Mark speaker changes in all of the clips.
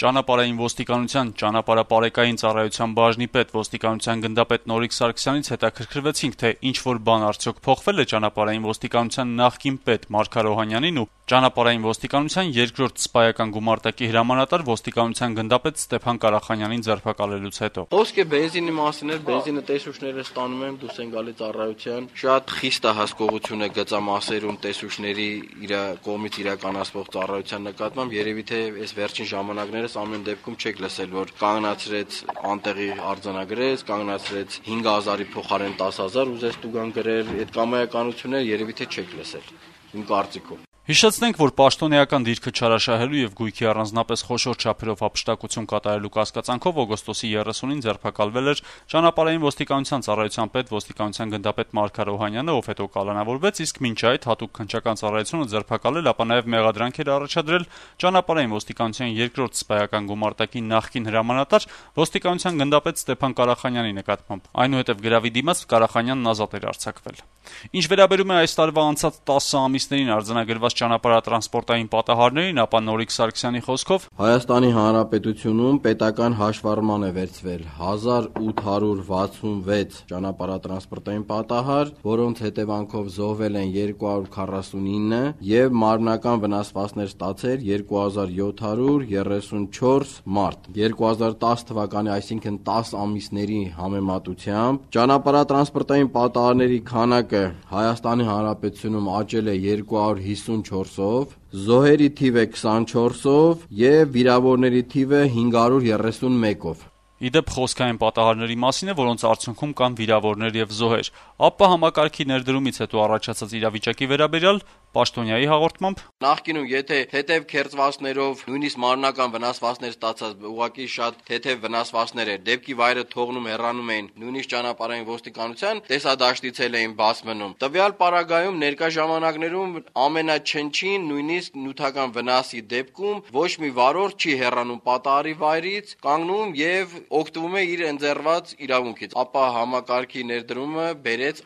Speaker 1: Ճանապարհային ոստիկանության ճանապարհապարեկային ծառայության բաժնի պետ ոստիկանության գնդապետ Նորիկ Սարգսյանից հետաքրքրվեցինք, թե ինչ-որ բան արդյոք փոխվել է ճանապարհային ոստիկանության նախկին պետ Մարգար Օհանյանին ու ճանապարհային ոստիկանության երկրորդ սպայական գումարտակի հրամանատար ոստիկանության գնդապետ Ստեփան Կարախանյանին ձերբակալելուց հետո։
Speaker 2: Խոսքը բենզինի մասին էր, բենզինը տեսուչները ստանում են, դուրս են գալիս ծառայության, շատ խիստ է հասկողությունը գծամասերում տեսուչների իր կողմից իրականացվող ծառայության նկատմամբ, երևի թե այս վերջին ժամանակներս ամեն դեպքում չեք լսել, որ կանգնացրեց անտեղի արձանագրեց, կանգնացրեց 5000-ի փոխարեն 10000 ուզեց տուգան գրել, այդ կամայականությունները երևի թե չեք լսել, իմ կարծիքով։
Speaker 1: Հիշեցնենք, որ պաշտոնեական դիրքը չարաշահելու եւ գույքի առանձնապես խոշոր չափերով հափշտակություն կատարելու կասկածանքով օգոստոսի 30-ին ձերբակալվել էր ճանապարհային ոստիկանության ծառայության պետ ոստիկանության գնդապետ Մարգար Օհանյանը, ով հետո կալանավորվեց, իսկ մինչ այդ հատուկ քննչական ծառայությունը ձերբակալել, ապա նաեւ մեղադրանքեր առաջադրել ճանապարհային ոստիկանության երկրորդ սպայական գումարտակի նախկին հրամանատար ոստիկանության գնդապետ Ստեփան Կարախանյանի նկատմամբ։ Այնուհետև գրավի դիմաց Կարախանյանն ազատ էր արձակվել։ Ինչ վերաբերում է այս տարվա անցած 10 ամիսներին արձանագրված ճանապարհատրանսպորտային պատահարներին, ապա Նորիկ Սարգսյանի խոսքով
Speaker 2: Հայաստանի Հանրապետությունում պետական հաշվառման է վերցվել 1866 ճանապարհատրանսպորտային պատահար, որոնց հետևանքով զոհվել են 249 եւ մարմնական վնասվածքներ ստացել 2734 մարդ։ 2010 թվականի, այսինքն 10 ամիսների համեմատությամբ ճանապարհատրանսպորտային պատահարների քանակը Հայաստանի Հանրապետությունում աճել է 254-ով, զոհերի թիվը 24-ով եւ վիրավորների թիվը 531-ով։
Speaker 1: Իդեպ խոսքային պատահարների մասին է, որոնց արդյունքում կան վիրավորներ եւ զոհեր։ Ապա համակարգի ներդրումից հետո առաջացած իրավիճակի վերաբերյալ պաշտոնյայի հաղորդմամբ
Speaker 2: նախկինում եթե թեթև քերծվածքներով նույնիսկ մարմնական վնասվածքներ ստացած ուղղակի շատ թեթև վնասվածքներ էր, դեպքի վայրը թողնում հեռանում էին նույնիսկ ճանապարհային ոստիկանության տեսադաշտից էին բաց մնում։ Տվյալ պարագայում ներկա ժամանակներում ամենաչնչին նույնիսկ նյութական վնասի դեպքում ոչ մի վարորդ չի հեռանում պատահարի վայրից, կանգնում եւ օգտվում է իր ընձեռված իրավունքից, ապա համակարգի ներդրումը բերեց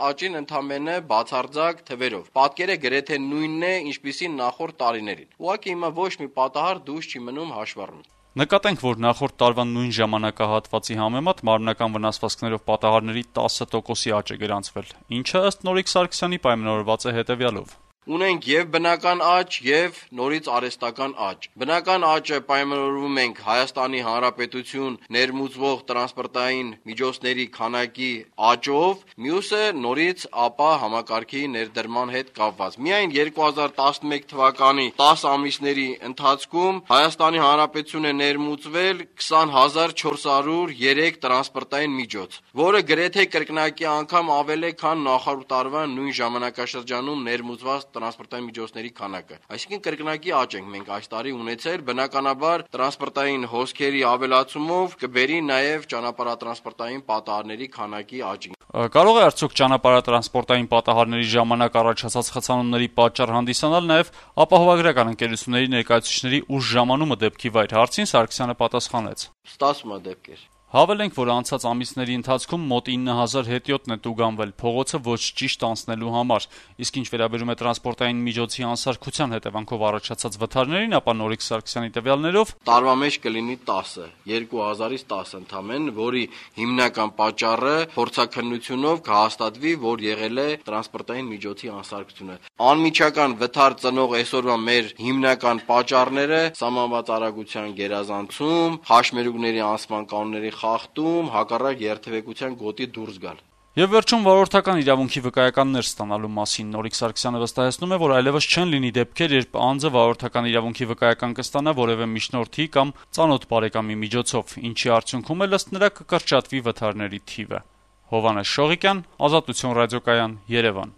Speaker 2: աճին ընդամենը բացարձակ թվերով։ Պատկերը գրեթե նույնն է, ինչպիսին նախորդ տարիներին։ Ուղղակի հիմա ոչ մի պատահար դուրս չի մնում հաշվառումից։
Speaker 1: Նկատենք, որ նախորդ տարվա նույն ժամանակահատվածի համեմատ մարմնական վնասվածքներով պատահարների 10%-ի աճ է գրանցվել, ինչը ըստ Նորիկ Սարգսյանի պայմանավորված է հետևյալով.
Speaker 2: Ունենք եւ բնական աճ եւ նորից արհեստական աճ։ Բնական աճը պայմանավորվում ենք Հայաստանի Հանրապետություն ներմուծվող տրանսպորտային միջոցների քանակի աճով, մյուսը նորից ապա համակարգի ներդրման հետ կապված։ Միայն 2011 թվականի 10 ամիսների ընթացքում Հայաստանի Հանրապետությունը ներմուծվել 20403 տրանսպորտային միջոց, որը գրեթե կրկնակի անգամ ավել է, քան նախորդ տարվա նույն ժամանակաշրջանում ներմուծված տրանսպորտային միջոցների քանակը։ Այսինքն կրկնակի աճ ենք մենք այս տարի ունեցել, բնականաբար տրանսպորտային հոսքերի ավելացումով կբերի նաև ճանապարհատրանսպորտային պատահարների քանակի աճին։
Speaker 1: Կարող է արդյոք ճանապարհատրանսպորտային պատահարների ժամանակ առաջացած խցանումների պատճառ հանդիսանալ նաև ապահովագրական ընկերությունների ներկայացուցիչների ուշ ժամանումը դեպքի վայր։ Հարցին Սարգսյանը պատասխանեց.
Speaker 2: Ստացվում է դեպքեր։
Speaker 1: Հավելենք, որ անցած ամիսների ընթացքում մոտ 9000 հետիոտն է տուգանվել փողոցը ոչ ճիշտ անցնելու համար, իսկ ինչ վերաբերում է տրանսպորտային միջոցի անսարքության հետևանքով առաջացած վթարներին, ապա Նորիկ Սարգսյանի տվյալներով
Speaker 2: տարվա մեջ կլինի 10, 2000-ից 10 ընդամենը, որի հիմնական պատճառը փորձաքննությունով կհաստատվի, որ եղել է տրանսպորտային միջոցի անսարքությունը։ Անմիջական վթար ծնող այսօրվա մեր հիմնական պատճառները սահմանված արագության գերազանցում, հաշմերուկների անցման կանոնների խախտում, հակառակ երթևեկության գոտի դուրս գալ։
Speaker 1: Եվ վերջում վարորդական իրավունքի վկայականներ ստանալու մասին Նորիկ Սարգսյանը վստահեցնում է, որ այլևս չեն լինի դեպքեր, երբ անձը վարորդական իրավունքի վկայական կստանա որևէ միջնորդի կամ ծանոթ բարեկամի միջոցով, ինչի արդյունքում էլ ըստ նրա կկրճատվի վթարների թիվը։ Հովհաննես Շողիկյան, Ազատություն ռադիոկայան, Երևան։